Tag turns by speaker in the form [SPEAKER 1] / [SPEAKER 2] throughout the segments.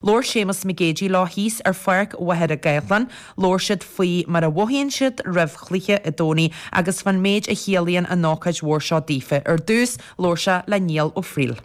[SPEAKER 1] Labhair Séamus Mac Géidigh leo thíos ar Pháirc Mhachaire Gathlán. Labhair siad faoi mar a mhothaíonn siad roimh chluiche an Domhnaigh agus fán méid a chiallaíonn an ócáid mhór seo daofa. Ar dtús, labhair sé le Niall Ó Frighil.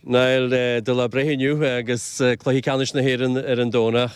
[SPEAKER 2] Niall, do lá breithe inniu agus cluiche ceannais na hÉireann ar an Domhnach.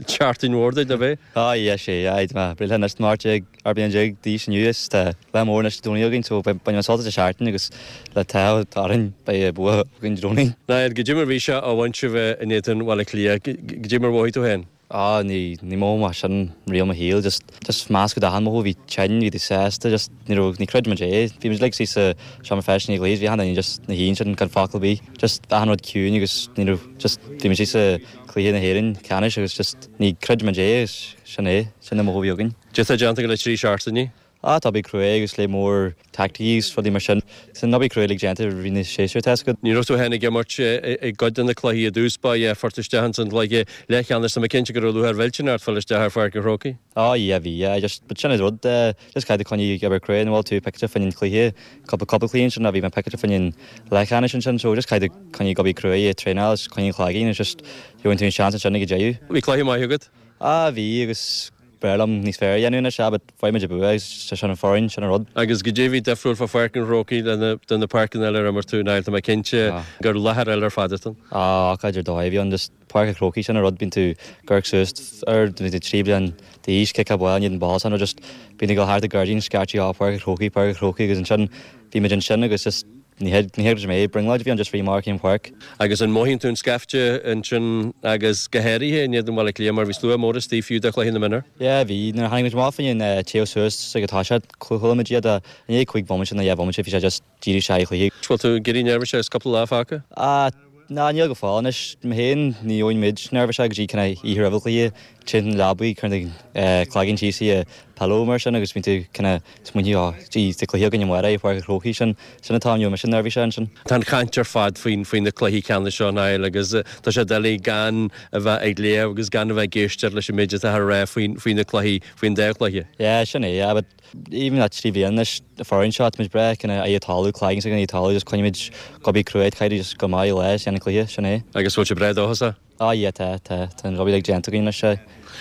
[SPEAKER 2] Seachtain mhór duit, ab é?
[SPEAKER 3] Á, yeah, sé, aye, tá mé breithe anois, tá mé 18 bliain d'aois inniu is tá lá mór anois Dé Domhnaigh againn so bainfidh mé sult as an seachtain agus le t-ádh orainn beidh bua againn Dé Domhnaigh.
[SPEAKER 2] Niall, goidé mar bhí sé á bhaint sibh in éadan Bhaile Átha Cliath, goidé mar a mhothaigh tú féin?
[SPEAKER 3] Á, ní, ní mhothaigh mé sin riamh i mo shaol, just, just meascadh d'achan mhothú, bhí tinn, bhí tú sásta, just ní raibh, ní chreid muid é. Bhí muid uilig istigh sa seomra feistis i ndiaidh an chluiche, bhí achan duine just ina shuí ansin gan focal ar bith, just achan rud ciúin agus ní raibh, just bhí muid istigh sa cluiche na hÉireann ceannais agus just ní chreid muid é agus sin é, sin an mothú a bhí againn.
[SPEAKER 2] Cad é atá déanta agat le 3 seachtainí?
[SPEAKER 3] Á, tá obair cruaidh agus lear mór taicticí agus rudaí mar sin. Tá an obair cruaidh uilig déanta i rith na séasúir, tá 'fhios agat.
[SPEAKER 2] Ní raibh tú féin ag imirt i gcuid de na cluichí i dtús báire, fuair tú isteach ins an gcluiche leathcheannais. Tá mé cinnte go raibh lúcháir mhillteanach ort fáil isteach ar Pháirc an Chrócaigh.
[SPEAKER 3] Á, yeah, bhí, yeah. Just, but sin an rud, just caithfidh tú coinneáil ag obair cruaidh, an bhfuil tú piceáilte fá choinne an chluiche, cúpla cúpla cluiche ansin, bhí mé piceáilte fá choinne an leathcheannais ansin, so just caithfidh tú coinneáil ag obair cruaidh, ag traenáil agus coinneáil an cloigeann agus just gheobhaidh tú an seans ansin ag an deireadh.
[SPEAKER 2] Bhí cluiche maith agat?
[SPEAKER 3] Á, bhí, agus B'fhearr liom níos fearr a dhéanamh anois, ah, but fuair muid an bua agus sin an foireann, sin an rud.
[SPEAKER 2] Agus goidé a bhí difriúil fá Pháirc an Chrócaigh le na, de na páirceanna eile ar imir tú, Niall, tá mé cinnte gur láthair eile ar fad atá ann.
[SPEAKER 3] Ah, ócáid ar dóigh a bhí ann, just Páirc an Chrócaigh, sin an rud, bíonn tú ag amharc suas air, bíonn tú 3 bliain d'aois, ciceáil ball in éadan ball, sin rud, just bíonn tú ag dul thart an gairdín, scaití, ah, Páirc an Chrócaigh, Páirc an Chrócaigh agus ansin bhí muid ansin agus just Ní thuigim é, brionglóid a bhí ann just rith amach an pháirc.
[SPEAKER 2] Agus an mothaíonn tú an scaifte ansin agus go háirithe in éadan Bhaile Átha Cliath mar bhí slua mór istigh fiú do chluiche na mionúr?
[SPEAKER 3] Yeah, bhí. Nuair a tháinig muid amach fá choinne téamh suas ag an toiseacht, chuala muid iad i ndiaidh cúig bhomaite nó dheich bhomaite bhí sé just díreach isteach i gcluiche.
[SPEAKER 2] Bhfuil tú ag éirí neirbhíseach agus cúpla lá fágtha?
[SPEAKER 3] Ah, ná níl go fóill anois. Mé féin, ní bhíonn muid neirbhíseach go dtí kind of oíche roimh an chluiche. Téann an leabaidh, cuireann tú cloigeann síos i pillow mar sin agus bíonn tú kind of smaointiú oh gee tá cluiche againn amárach i Páirc an Chrócaigh sin sin an t-am a bhíonn mise neirbhíseach ansin.
[SPEAKER 2] Tá an chaint ar fad faoin faoi na cluichí ceannais seo Niall agus tá sé doiligh gan a bheith ag léamh agus gan a bheith ag éisteacht leis an méid atá á rá faoin faoi na cluichí faoin dá chluiche.
[SPEAKER 3] Yeah sin é yeah but even le 3 bhliain anois an foireann seo tá muid breá kind of aghaidh an talamh cloigeann s'againn aghaidh an talamh just coinnímid ag obair cruaidh caithfidh just go maith lá is déanamh an cluiche sin é.
[SPEAKER 2] Agus bhfuil sibh breá dóchasach?
[SPEAKER 3] Ah yeah tá, tá, tá an obair uilig déanta againn anois eh.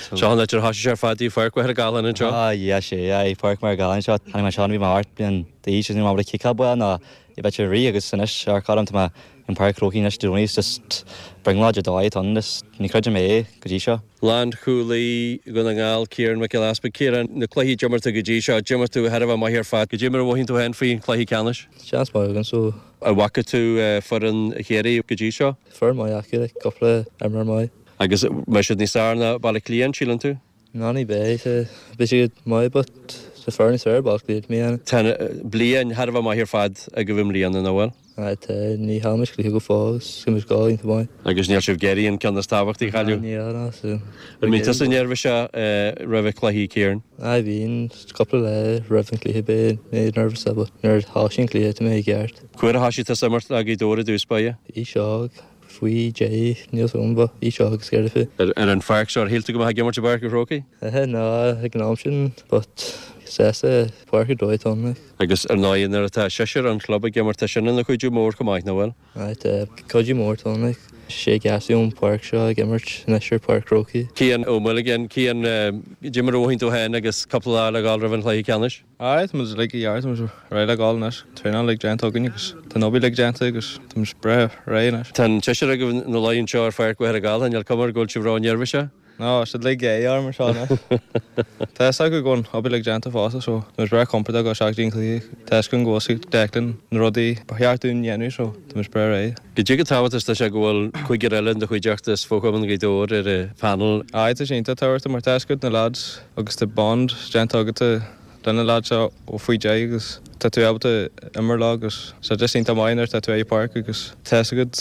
[SPEAKER 2] So. Seo an áit ar thosaigh sé ar fad í Pháirc Mhachaire Gathlán anseo.
[SPEAKER 3] Ah yeah sé, aye, Páirc Mhachaire Gathlán anseo. Tháinig mé anseo nuair a bhí mé 8 bliain d'aois agus ní raibh mé ábalta ciceáil ball ná i bheith ag rith agus anois amharc orm tá mé in Páirc an Chrócaigh anois Dé Domhnaigh is just brionglóid ar dóigh atá ann is ní chreidim é go dtí seo.
[SPEAKER 2] Lánchúlaí Dhún na nGall, Ciarán Mac Giolla Easpaig. Ciarán, na cluichí a d'imir tú go dtí seo, d'imir tú thar a bheith maith ar fad. Goidé mar a mhothaíonn tú féin faoin chluiche ceannais?
[SPEAKER 4] Seans maith againn so.
[SPEAKER 2] An bhfaca tú foireann Chiarraí go dtí seo?
[SPEAKER 4] Foireann maith acu, like, cúpla imreoir maith.
[SPEAKER 2] Agus mbeidh siad níos fearr ná Baile Átha Cliath, an síleann tú?
[SPEAKER 4] Ná ní bheidh, beidh siad maith but tá foireann níos fearr ag Baile Átha Cliath i mbliana.
[SPEAKER 2] Tá bliain thar a bheith maith ar fad agaibh i mbliana, nach bhfuil?
[SPEAKER 4] Aye tá, ní chaill muid cluiche go fóill agus tá muid ag gabháil iontach maith.
[SPEAKER 2] Agus níl sibh ag iarraidh an ceann is tábhachtaí a chailleadh?
[SPEAKER 4] Ná níl, ná so.
[SPEAKER 2] An mbíonn tusa neirbhíseach roimh an cluiche, Ciarán?
[SPEAKER 4] Aye bíonn, cúpla lá roimh an cluiche beidh mé nervous but nuair a thosaíonn an cluiche tá mé i gceart.
[SPEAKER 2] Cá huair a thosaigh tusa ag imirt le Gaoth Dobhair i dtús báire?
[SPEAKER 4] Aois óg, faoi dheich, níl 's agam but aois óg is céard fé.
[SPEAKER 2] Ar an pháirc seo, ar shíl tú go mbeifeá ag imirt i bPáirc an Chrócaigh?
[SPEAKER 4] Ná, ag an am sin but sásta páirc ar dóigh atá ann like.
[SPEAKER 2] Agus ar ndóigh nuair atá seisear an chlub ag imirt tá sin ina chuidiú mór chomh maith, nach bhfuil?
[SPEAKER 4] Aye tá, cuidiú mór atá ann like. Sé gasúir ón pháirc seo ag imirt anois ar Pháirc Chrócaigh.
[SPEAKER 2] Cian Ó Maolagáin, Cian, goidé mar a mhothaíonn tú féin agus cúpla lá le dhul roimh an chluiche ceannais?
[SPEAKER 5] Aye, tá muid uilig i gceart, tá muid réidh le dhul anois. Traenáil uilig déanta againn agus tá an obair uilig déanta agus tá muid breá réidh anois.
[SPEAKER 2] Tá an seisear agaibh ina luí anseo ar Pháirc Mhachaire Gathlán, níl cuma air go bhfuil sibh ró-neirbhíseach?
[SPEAKER 5] Ná, tá siad uilig ag orm anseo anois. Tá fhios acu go bhfuil an obair uilig déanta fosta so tá muid breá compordach ag dul isteach go dtí an cluiche. Tá fhios againn go bhfuil fhios ag Declan na rudaí ba cheart dúinn dhéanamh so tá muid breá réidh.
[SPEAKER 2] Goidé chomh tábhachtach is atá sé go bhfuil cúigear eile in do chuideachta as fo-chumann Ghaoth Dobhair ar an phainéal?
[SPEAKER 5] Aye, tá sé iontach tábhachtach mar tá fhios agat na lads agus tá bond déanta agat le na lads seo ó faoi deich agus tá tú ábalta imirt leo agus tá sé just iontach maith nuair atá tú ar an pháirc agus tá fhios agat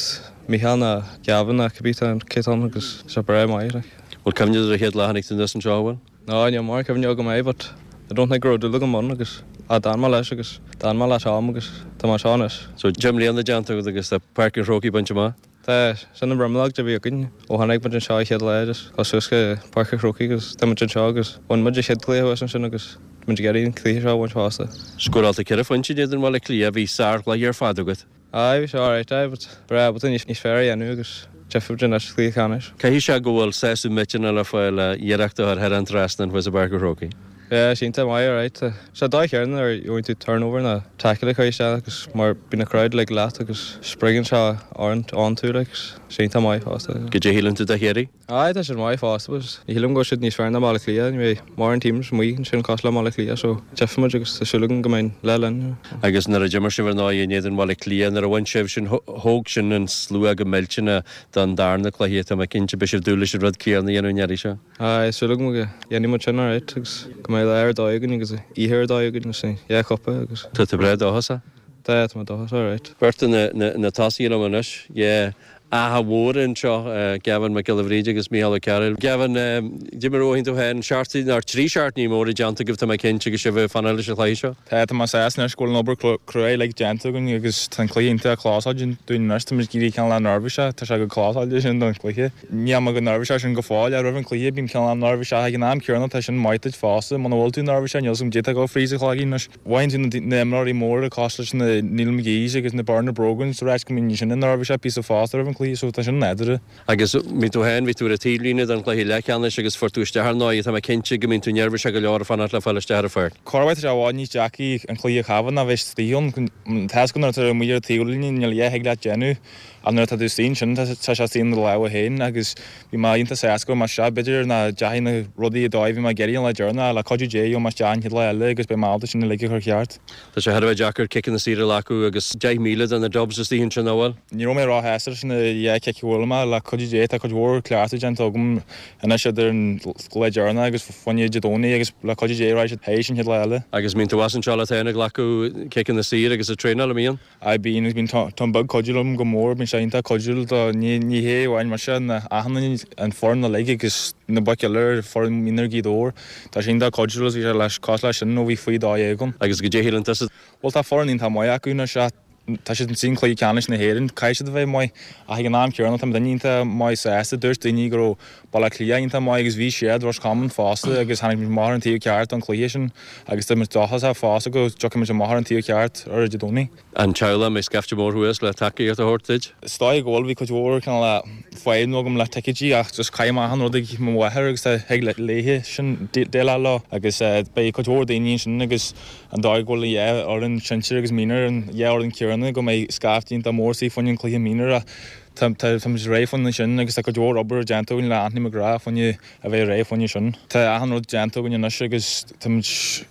[SPEAKER 5] Micheál ná Gavin ná cibé cé atá ann agus tá sé breá maith like.
[SPEAKER 2] Bhfuil cuimhne agat ar an chéad lá a tháinig tú anuas anseo, an bhfuil?
[SPEAKER 5] Ná, níl mórán cuimhne agam air but I don't think go raibh dúil agam ann agus ah d'fhan mé leis agus d'fhan mé le Tom agus tá mé anseo anois.
[SPEAKER 2] So 10 mbliana déanta agat agus tá Páirc an Chrócaigh bainte amach?
[SPEAKER 5] Tá, sin an bhrionglóid a bhí againn ó tháinig muid anseo an chéad lá just dul suas go Páirc an Chrócaigh agus tá muid anseo agus bhain muid an chéad cluiche thuas ansin agus tá muid ag iarraidh an cluiche seo a bhaint fosta.
[SPEAKER 2] Scóráil tú ceithre phointe in éadan Bhaile Átha Cliath, bhí sárchluiche ar fad agat.
[SPEAKER 5] Aye, bhí sé alright, aye, but breá ábalta níos fearr a dhéanamh agus. Tchífimid anois sa chluiche ceannais.
[SPEAKER 2] Caithfidh sé go bhfuil sásamh millteanach le fáil le iarracht a chur thar an trasnán thuas i bPáirc an Chrócaigh.
[SPEAKER 5] Yeah, is iontach maith, alright. Tá sé dóigh chéanna nuair a gheobhann tú turnover nó tackle a chur isteach agus mar bíonn an crowd like leat agus spreagann sé ann tú like, is iontach maith fosta.
[SPEAKER 2] Goidé a shíleann tú de Chiarraí?
[SPEAKER 5] Aye, tá siad maith fosta but ní shílim go bhfuil siad níos fearr ná Baile Átha Cliath. Ní bheidh mórán teams amuigh ansin cosúil le Baile Átha Cliath so tchífimid agus tá súil agam go mbeidh an lá linn.
[SPEAKER 2] Agus nuair a d'imir sibh ar ndóigh in éadan Bhaile Átha Cliath, nuair a bhain sibh sin, thóg sin an slua go millteanach don darna cluiche. Tá mé cinnte beidh sibh ag dúil leis an rud céanna a dhéanamh an iarraidh seo.
[SPEAKER 5] Aye, súil agam go dhéanfaidh muid sin alright agus go mbeidh lá ar dóigh againn agus oíche ar dóigh againn agus an dhá chupa agus.
[SPEAKER 2] Tá tú breá dóchasach?
[SPEAKER 5] Tá, tá mé dóchasach alright.
[SPEAKER 2] Beirt de na tosaithe liom anois, yeah. Achadh Mhór anseo, Gavin Mac Giolla Bhríde agus Micheál Ó Cearúil. Gavin, goidé mar a mhothaíonn tú féin, seacht, nó trí seachtainí móra déanta agaibh, tá mé cinnte, agus sibh ag fanacht leis an chluiche seo.
[SPEAKER 5] Tá, tá mé sásta anois go bhfuil an obair cruaidh uilig déanta againn agus tá an cluiche iontach clósáilte dúinn anois, tá muid ag éirí cineál neirbhíseach, tá sé chomh clósáilte sin don chluiche. Níl mé chomh neirbhíseach sin go fóill ach roimh an chluiche bím cineál neirbhíseach ag an am céanna tá sin maith duit fosta, muna bhfuil tú neirbhíseach níl 's agam goidé atá ag dul fríd do chloigeann anois. Mothaíonn tú na imreoirí móra cosúil leis na Neil McGees agus na Bernard Brogans ag ráit go mbíonn sin neirbhíseach píosa fosta roimh an cluiche so tá sin nádúrtha.
[SPEAKER 2] Agus bhí tú féin, bhí tú ar an taobhlíne don chluiche leathcheannais agus fuair tú isteach ar ndóigh, tá mé cinnte go mbíonn tú neirbhíseach go leor ag fanacht le fáil isteach ar an pháirc.
[SPEAKER 5] Corruair tá sé i bhfad níos deacra an cluiche a chaithfeá ná bheith istigh ann. Tá 's agat nuair atá tú amuigh ar an taobhlíne níl a dhath a thig leat déanamh ach nuair atá tú istigh ansin tá sé istigh in do lámha féin agus Bhí mé iontach sásta go raibh mé isteach, b'fhéidir nach ndeachaigh na rudaí an dóigh a bhí mé ag iarraidh an lá deireanach, ach le cuidiú Dé gheobhaidh mé isteach an chéad lá eile agus beidh mé ábalta sin uilig a chur ceart.
[SPEAKER 2] Tá sé thar a bheith deacair ciceanna saora a ghlacadh agus 10,000 de na Dubs istigh ansin, nach bhfuil?
[SPEAKER 5] Ní raibh mé róshásta leis na dhá chic a bhuail mé, le cuidiú Dé tá cuid mhór cleachtadh déanta agam anois idir an lá deireanach agus fá choinne Dé Domhnaigh agus le cuidiú Dé raghaidh siad théis an chéad lá eile.
[SPEAKER 2] Agus mbíonn tú as anseo leat féin ag glacadh ciceanna saora agus ag traenáil, an mbíonn?
[SPEAKER 5] Aye bíonn agus bíonn Tom Beag cuidiú liom go mór, bíonn sé iontach cuidiúil do, ní ní hé amháin mise ná achan duine, an foireann uilig agus na boic eile ar foireann mionúir Ghaoth Dobhair, tá sé iontach cuidiúil agus bhí sé leis cosúil leis sin ó bhí faoi 12 ann.
[SPEAKER 2] Agus goidé a shíleann tusa.
[SPEAKER 5] Bhuel tá foireann iontach maith acu anois ach tá siad i gcluiche ceannais na hÉireann, caithfidh siad a bheith maith ach ag an am céanna tá muidinne iontach maith sásta, dúirt daoine go raibh Baile Átha Cliath iontach maith agus bhí siad, Ros Comáin fosta agus tháinig muid amach ar an taobh ceart don chluiche sin agus tá muid dóchasach fosta go dtiocfaidh muid amach ar an taobh ceart ar Dé Domhnaigh.
[SPEAKER 2] An teaghlach, an mbeidh scaifte mór thuas le tacaíocht a thabhairt duit?
[SPEAKER 5] Is dóigh go bhfuil, bhí cuid mhór cineál fadhbanna agam le ticéidí ach just caithfidh mé achan rud ag mo mháthair agus tá thig léithe sin déileáil leo agus beidh cuid mhór daoine ansin agus an dóigh go bhfuil an dhá fhoireann sinsir agus mionúir an dhá fhoireann céanna go mbeidh scaifte iontach mór istigh fá choinne an cluiche mionúir ach Tá muid réidh fá choinne sin agus tá cuid mhór obair déanta againn le Anthony McGrath fá choinne a bheith réidh fá choinne sin. Tá achan rud déanta againn anois agus tá muid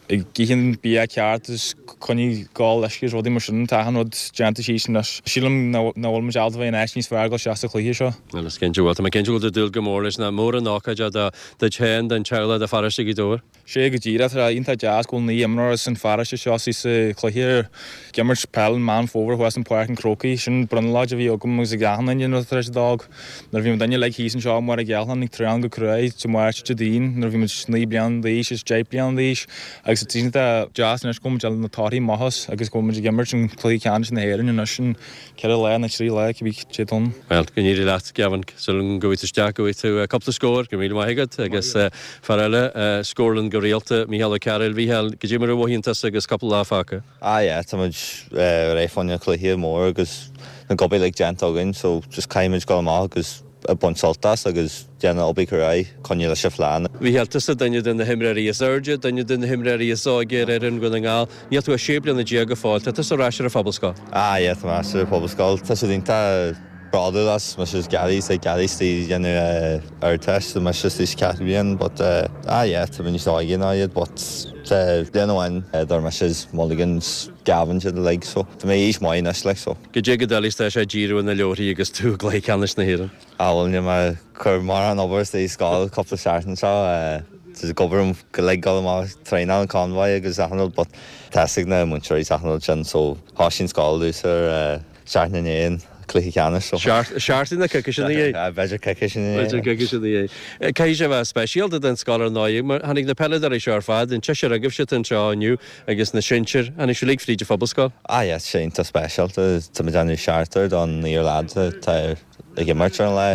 [SPEAKER 5] ag ithe an bia ceart agus coinnigh ag ól uisce agus rudaí mar sin. Tá achan rud déanta síos anois. Sílim nach bhfuil muid ábalta bheith in áit níos fearr ag dul isteach sa chluiche seo.
[SPEAKER 2] Bhuel, is cinnte go bhfuil. Tá mé cinnte go bhfuil tú ag dúil go mór leis. Nach mór an ócáid é duit féin, don teaghlach, do pharóiste Ghaoth Dobhair.
[SPEAKER 5] Sé go díreach, tá sé iontach deas go bhfuil 9 imreoir as an pharóiste seo istigh sa chluiche. Ag imirt peil i Meán Fómhair thuas in Páirc an Chrócaigh. Sin brionglóid a bhí agam agus ag achan duine nuair tar éis a d'fhág. Nuair a bhí muid uilig thíos anseo i mBaile Ghealcháin ag traenáil go cruaidh Dé Máirt Dé Daoin nuair a bhí muid 9 bliana d'aois is 10 bliana d'aois agus tá iontach deas anois go bhfuil muid ag fáil na torthaí maithe as agus go bhfuil muid ag imirt an cluiche ceannais na hÉireann anois in 4 lá nó 3 lá, cibé cé atá ann.
[SPEAKER 2] Bhuel, go n-éirí leat, Gavin. Súil agam go bhfaighidh tú isteach, go bhfaighidh tú cúpla scór. Go raibh míle maith agat. Agus fear eile a scórálann go rialta, Mícheál Ó Cearúil. Mhícheál, goidé mar a mhothaíonn tusa agus cúpla lá fágtha?
[SPEAKER 4] Ah yeah, tá muid réidh fá choinne cluiche mór agus na obair uilig déanta againn so just caithfidh muid dul amach agus baint sult as agus déanamh obair cruaidh, coinneáil leis an phlean.
[SPEAKER 2] Mhícheál, tusa duine de na himreoirí is airde, duine de na himreoirí is óige ar fhoireann Dhún na nGall. Níl tú ach 16 bliana go fóill. Tá tusa ar ais ar an phobalscoil.
[SPEAKER 4] Ah yeah, tá mé ar ais ar an phobalscoil. Tá siad iontach bródúil as mise is Gary, is Gary istigh ag déanamh Ardteist, tá mise istigh sa ceathrú bliain but ah yeah, tá mé níos óige ná iad but tá bliain amháin idir mise is Mulligan is Gavin siad uilig so tá mé aois maith anois like so.
[SPEAKER 2] Goidé go doiligh tá sé díriú ar na leabharthaí agus tú i gcluiche ceannais na hÉireann.
[SPEAKER 4] Ah bhuel níl mé ag cur mórán obair istigh i scoil cúpla seachtain seo, tá ag obair orm go uilig dul amach ag traenáil an convoy agus achan rud but tá fhios ag na múinteoirí is achan rud sin so thoisigh an scoil domhsa ar seachtain i ndiaidh an cluiche ceannais so.
[SPEAKER 2] Seachtain nó coicís ina dhiaidh.
[SPEAKER 4] B'fhéidir coicís ina
[SPEAKER 2] dhiaidh. B'fhéidir coicís ina dhiaidh. Caithfidh sé a bheith speisialta don scoil ar ndóigh mar tháinig na peileadóirí seo ar fad, an tseisear agaibhse atá anseo inniu agus na sinsir, tháinig sibh uilig fríd an phobalscoil.
[SPEAKER 4] Ah yeah, tá sé iontach speisialta, tá muid ag déanamh seachtar don naonúr leads atá ag imirt ar an lá,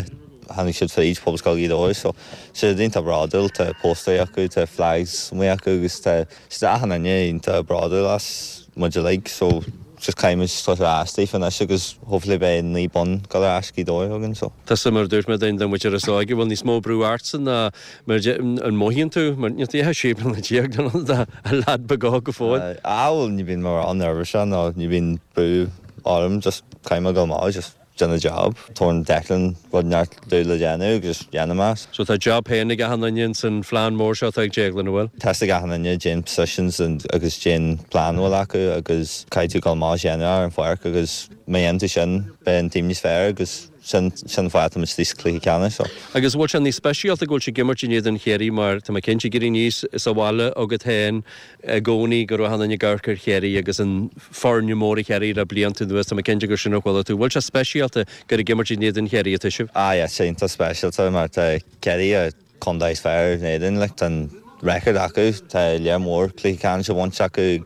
[SPEAKER 4] tháinig siad fríd Pobalscoil Ghaoth Dobhair so tá siad iontach bródúil, tá póstaerí acu, tá flags amuigh acu agus tá siad achan duine iontach bródúil as muid uilig so. just caithfidh muid tabhairt ar ais daofa anois agus hopefully beidh 9 bonn ag dul ar ais Gaoth Dobhair againn so.
[SPEAKER 2] Tusa mar a dúirt mé duine den mhuintir is óige, bhfuil níos mó brú ortsa ná mar an mothaíonn tú mar níl tú ach 16 bliana nó tá a leaid beag óg go fóill.
[SPEAKER 4] Ah bhuel ní bhíonn mórán nervous ná ní bhíonn brú orm just caithfidh mé dul amach just déanamh job. Tabharann Declan rud neart domh le déanamh agus déanaim é.
[SPEAKER 2] So tá job féin ag achan duine ins an phlean mór seo atá ag Déaglán, an bhfuil?
[SPEAKER 4] Tá a fhios ag achan duine cén positions agus cén plean a bhfuil acu agus caithfidh tú dul amach is déanamh ar an pháirc agus má dhéanann tú sin beidh an team níos fearr agus sin sin an fáth atá muid istigh sa chluiche ceannais so.
[SPEAKER 2] Agus bhfuil sé níos speisialta go bhfuil sibh ag imirt in éadan Chiarraí mar tá mé cinnte ag éirí aníos sa bhaile agat féin i gcónaí go raibh achan duine ag amharc ar Chiarraí agus an foirne mór Chiarraí le blianta anuas, tá mé cinnte gur sin a chuala tú. Bhfuil sé speisialta gur ag imirt in éadan Chiarraí atá sibh?
[SPEAKER 4] Ah yeah, tá sé iontach speisialta mar tá Ciarraí an contae is fearr in Éirinn, like tá an record acu, tá lear mór cluichí ceannais a bhaint acu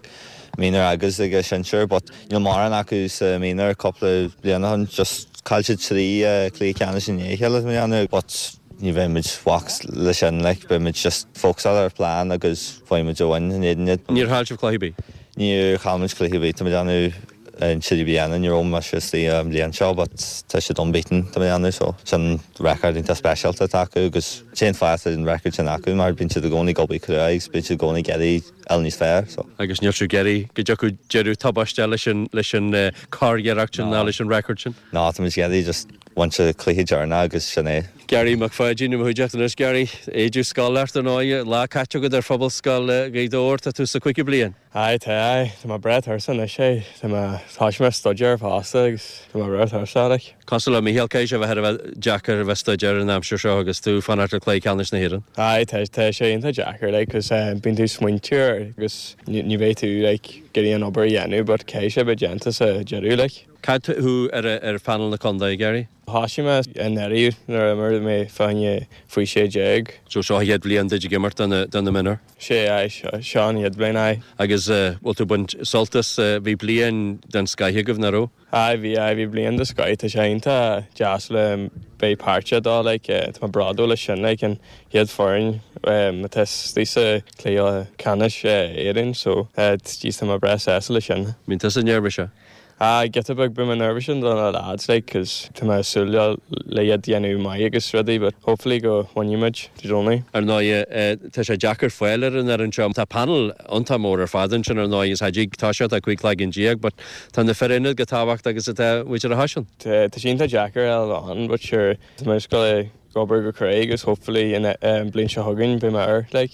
[SPEAKER 4] mionúr agus ag an sinsear but níl mórán acu sa mionúr cúpla bliain ó shin, just chaill siad 3 cluiche ceannais i ndiaidh a chéile tá mé ag déanamh but ní bheidh muid bhac's le sin like beidh muid just fócasáil ar plean agus faighidh muid a bhain in éadan iad.
[SPEAKER 2] Níor chaill sibh cluiche ar bith?
[SPEAKER 4] Níor chaill muid cluiche ar bith tá mé ag déanamh an trí bliana ní raibh mise istigh an bhliain seo but tá siad unbeaten tá mé ag déanamh so sin record iontach speisialta atá acu agus cén fáth atá an record sin acu mar bíonn siad i gcónaí ag obair crua agus bíonn siad i gcónaí ag iarraidh fháil níos fearr so.
[SPEAKER 2] Agus níl sibh ag iarraidh go dtiocfadh deireadh tubaisteach leis an leis an curiarracht sin ná leis an record sin.
[SPEAKER 4] Ná tá muid ag iarraidh just baint an cluiche deireanach agus sin é.
[SPEAKER 2] Gary Mac Pháidín i mo chuideachta anois. Gary, éide scoile ort ar ndóigh, lá caite agat ar Phobalscoil Ghaoth Dobhair, tá tú sa chúigiú bliain.
[SPEAKER 5] Aye, tá, aye. Tá mé breá tuirseach anois, aye. Tá mé, thoisigh mé staidéar fosta agus tá mé breá tuirseach, like.
[SPEAKER 2] Cosúil le Mícheál, caithfidh sé a bheith thar a bheith deacair a bheith ag staidéar an aimsir seo agus tú ag fanacht le cluiche ceannais na hÉireann.
[SPEAKER 5] Aye, tá, tá sé iontach deacair, like, 'cause bíonn tú ag smaointiú air agus ní, ní bheidh tú, like, ag iarraidh an obair a dhéanamh but caithfidh sé bheith déanta sa deireadh, like.
[SPEAKER 2] Cad thú ar, ar phainéal na contae, Gary?
[SPEAKER 5] Thoisigh mé anuraidh nuair a imir mé fá choinne faoi 16.
[SPEAKER 2] So seo an chéad bhliain duit ag imirt do na, do na mionúir?
[SPEAKER 5] Sé, aye, seo, seo an chéad bhliain, aye.
[SPEAKER 2] Agus bhfuil tú ag baint sult as, bhí bliain den scoith agaibh, nach raibh?
[SPEAKER 5] Aye, bhí, aye, bhí bliain den scoith, tá sé iontach deas le beith páirteach dó, like, tá mé bródúil leis sin, like, an chéad foireann atá istigh sa chluiche ceannais Éireann, so, jeez, tá mé breá sásta leis sin.
[SPEAKER 2] Bíonn tusa neirbhíseach?
[SPEAKER 5] Ah, giota beag, bím neirbhíseach do na lads, like, 'cause tá mé ag súil le iad dhéanamh maith agus rudaí, but hopefully go mbainfidh muid Dé Domhnaigh.
[SPEAKER 2] Ar ndóigh, tá sé deacair fáil ar an fhoireann seo. Tá panel iontach mór ar fad ansin ar ndóigh, is ag toiseacht ag 15 cloigeann, but tá na fir ionaid chomh tábhachtach agus atá muintir an Chaisil.
[SPEAKER 5] Tá sé iontach deacair a fháil ann, but sure, tá mé ag goil ag obair go crua agus hopefully an bliain seo chugainn beidh mé air, like,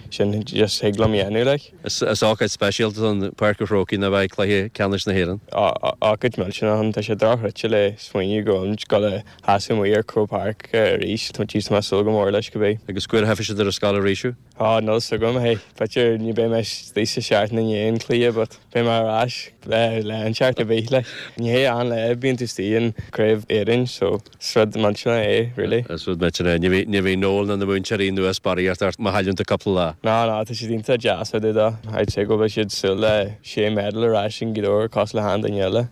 [SPEAKER 5] sin just thig liom a dhéanamh, like.
[SPEAKER 2] Is ócáid speisialta ann Páirc an Chrócaigh nuair a bheidh cluiche ceannais na hÉireann.
[SPEAKER 5] Ócáid millteanach ann, tá sé dochreidte le smaoineamh go bhfuilimid ag dul a sheasamh amuigh ar Croke Park arís, tá mé ag súil go mór leis cibé.
[SPEAKER 2] Agus cá huair a tchífidh siad ar an scoil arís thú?
[SPEAKER 5] Á, níl 's agam, hey, b'fhéidir ní beidh mé istigh sa seachtain i ndiaidh an cluiche but beidh mé ar ais le an seachtain a bhí, like. Ní hé an lá a bíonn tú istigh in Craobh Éireann so is rud millteanach é, really.
[SPEAKER 2] Is rud millteanach é. Ní bheidh, ní bheidh Noel ná na múinteoirí anuas barraíocht ort má chailleann tú cúpla lá.
[SPEAKER 5] Ná, ná, tá siad iontach deas fá dtaobh dó. I'd say go bhfuil siad ag súil le sé medal ar ais in Gaoth Dobhair cosúil le achan duine eile.